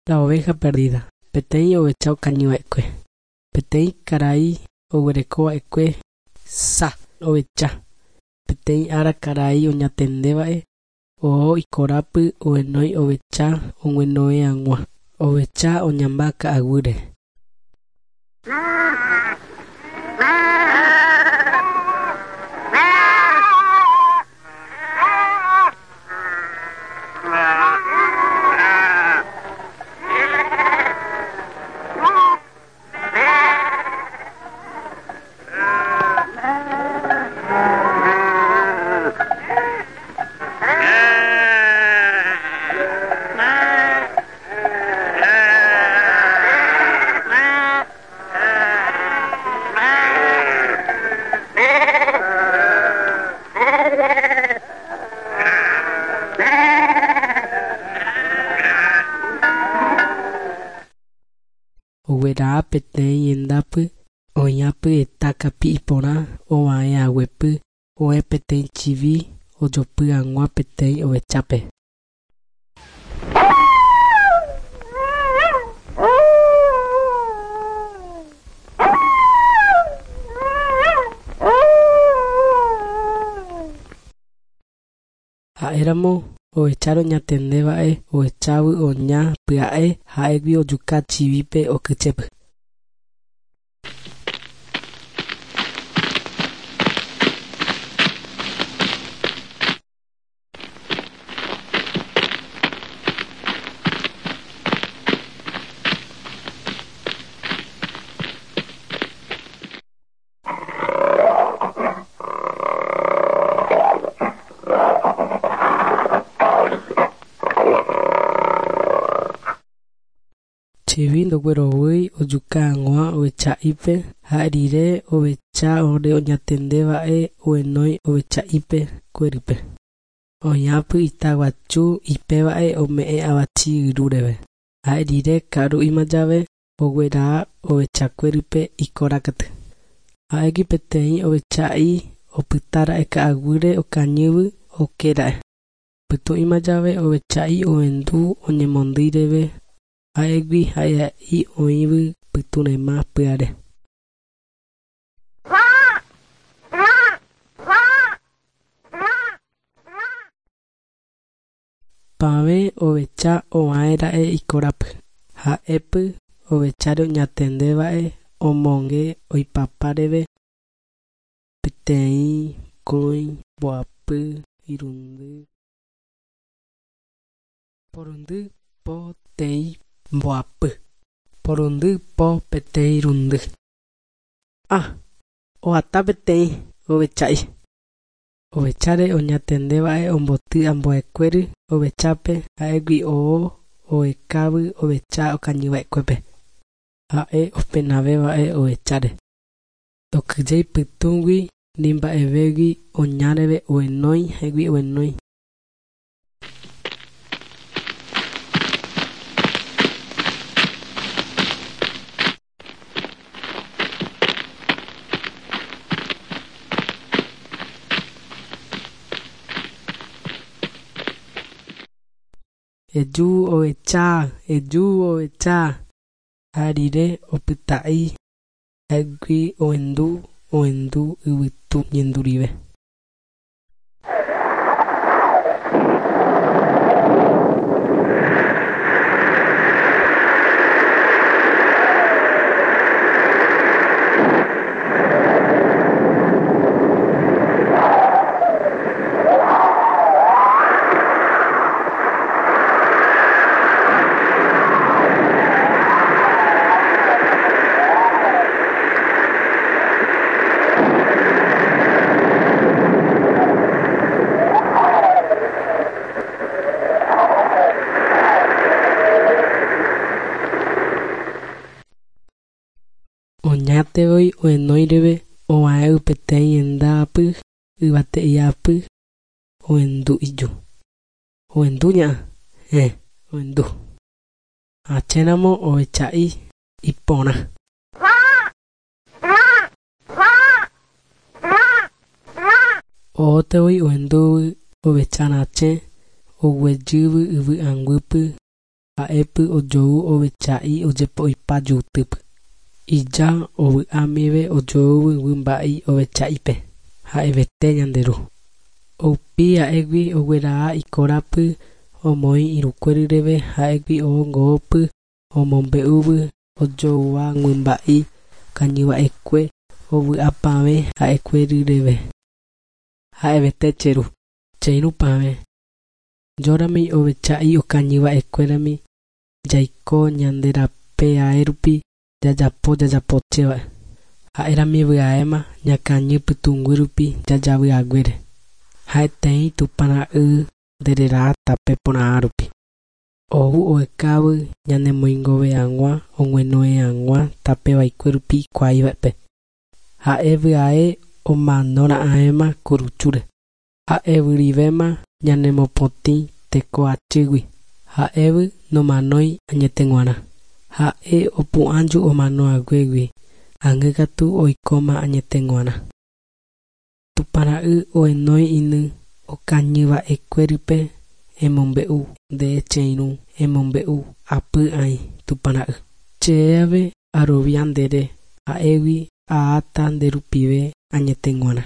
La oveja perdida. Peteĩ ovecha okañyva'ekue. Peteĩ karai oguerekova'ekue sa ovecha. Peteĩ ára karai oñatendeva'e oho ikorápy ohenói ovecha og̃uenoe hag̃ua. Ovecha oñamba ka'aguýre. Ogueraha peteĩ hendápy oĩhápy heta kapi'i porã ova'ehaguépy oĩ peteĩ chivi ojopy hag̃ua peteĩ ovechápe. Ha'éramo ovecháre oñatendeva'e ohechávo oña pya'e ha'égui ojuka chivípe okychépy. Chivi ndoguerovýi ojuka hag̃ua ovecha'ípe ha rire ovecha ore oñatendeva'e ohenói ovecha'ípe kuérýpe. Oĩhápy itaguasu ipéva'e ome'ẽ avati yrúreve. Ha'e rire ka'aru'íma jave ogueraha ovechakuérype ikorákatu. Ha'égui peteĩ ovecha'i opytára'e ka'aguýre okañývy okéra'e. Pytũ'íma jave ovecha'i ohendu oñemondýireve ha'égui ha'eha'i oĩvy pytũrema pyhare. Pavẽ ovecha ova'éra'e ikorápy. Ha'épy ovecháre oñatendeva'e omonge oipapáreve peteĩ, mokõi, mbohapy, irundy, porundy, poteĩ, mbohapy, porundy, po, peteĩ, irundy. Ah! Ohata peteĩ ovecha'i. Ovecháre oñatendeva'e omboty ambuekuéry ovechápe ha'égui oho ohekávy ovecha okañyva'ekuépe. Ha'e openaveva'e ovecháre. Ndokyhyjéi pytũgui ni mba'evégui oñáreve ohenói ha'égui ohenói. Eju ovecha, eju ovecha. Ha rire opyta'i ha'égui ohendu ohendu yvytu ñendurive. Oñatevoi ohenóireve ova'évy peteĩ hendápy yvate'iápy ohendu iju. Ohendu ña'a, héẽ, ohendu. Achéramo ovecha'i iporã. Ohótevoi ohendúvy ovecharachẽ oguejývy yvy'anguýpy Ha'épy ojou ovecha'i ojepo'ipa jutýpy. Ija ovy'amive ojoúvy guymba'í ovecha'ípe. Ha'evete ñande ru. Oupi ha'égui ogueraha ikorápy omoĩ irũkuéryreve ha'égui oho ngoópy omombe'úvy ojoúva guymba'í okañyva'ekue ovy'apavẽ ha'ekuéryreve. Ha'evete che ru. Che irũpavẽ. Jórami ovecha'i okañyva'ekuérami jaiko ñande rape ae rupi jajapo jajapochéva. Ha'érami vy'aéma ñakañy pytũnguy rupi jajavyhaguére. Ha'eteĩ Tupãra'y ndereraha tape porã rupi. Ou ohekávy ñanemoingove hag̃ua og̃uenohẽ hag̃ua tape vaikue rupi ikuaíva'epe. Ha'e vy'ae omanora'ãvéma kuruchúre. Ha'evyrivéma ñanemopotĩ tekoachýgui. Ha'évy nomanói añeteg̃uarã. Ha'e opu'ãju omanohaguégui ág̃akatu oikóma añeteg̃uarã. Tupãra'y ohenói iny okañyva'ekuérype emombe'u nde che irũ emombe'u apy'ãi Tupãra'y. Che ave arovia ndére ha'égui aháta nde rupive añeteg̃uarã.